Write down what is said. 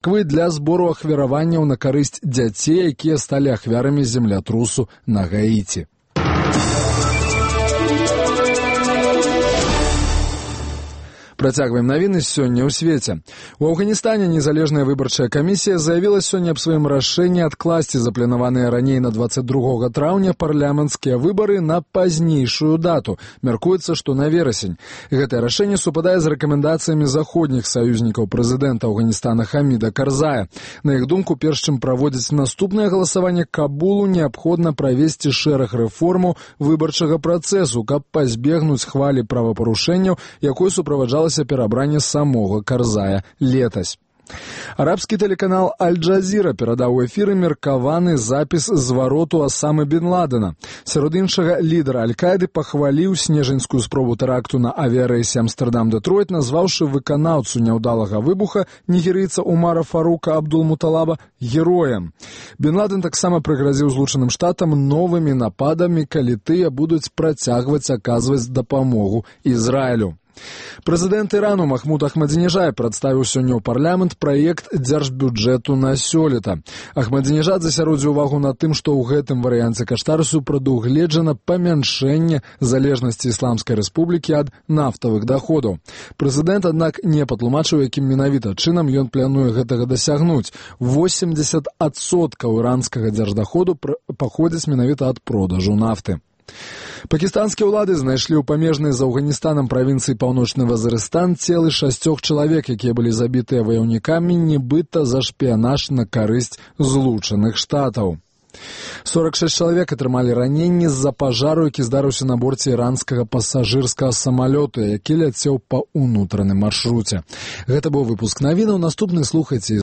Для збору ахвяраванняў на карысць дзяцей, якія сталі ахвярамі землятрусу на Гаіці. Працягваем навіны сёння ў свеце. У Афганістане незалежная выбарчая камісія заявіла сёння аб сваім рашэнні адкласці запланаваныя раней на 22 траўня парламенцкія выбары на пазнейшую дату. Мяркуецца, што на верасень. Гэтае рашэнне супадае з рэкамендацыямі заходніх саюзнікаў прэзідэнта Афганістана Хаміда Карзая. На іх думку, перш чым праводзіць наступнае галасаванне Кабулу, неабходна правесці шэраг рэформаў выбарчага працэсу, каб пазбегнуць хвалі правапарушэнняў, якой суправаджалася перабранне самога Карзая летась. Арабскі тэлеканал Аль-Джазіра перадаў у эфіры меркаваны запіс звароту Асамы бен Ладена. Сярод іншага, лідар Аль-Каіды пахваліў снежаньскую спробу тэракту на авіярэйсе Амстэрдам-Дэтройт, назваўшы выканаўцу няўдалага выбуха нігерыйца Умара Фарука Абдул-Муталаба героем. Бен Ладен таксама прыгразіў Злучаным Штатам новымі нападамі, калі тыя будуць працягваць аказваць дапамогу Ізраілю. Прэзідэнт Ірану Махмуд Ахмадзінежад прадставіў сёння ў парламент праект дзяржбюджэту на сёлета. Ахмадзінежад засяродзіў увагу на тым, што ў гэтым варыянце каштарысу прадугледжана памяншэнне залежнасці Ісламскай Рэспублікі ад нафтавых даходаў. Прэзідэнт, аднак, не патлумачыў, якім менавіта чынам ён плануе гэтага дасягнуць. 80% іранскага дзярждаходу паходзіць менавіта ад продажу нафты. Пакістанскія ўлады знайшлі ў памежнай з Афганістанам правінцыі Паўночны Вазырыстан целы 6 чалавек, якія былі забітыя ваяўнікамі, нібыта за шпіянаж на карысць Злучаных Штатаў. 46 чалавек атрымалі раненні з-за пажару, які здарыўся на борце іранскага пасажырскага самалёта, які ляцеў па ўнутраным маршруце. Гэта быў выпуск навінаў. Наступны слухайце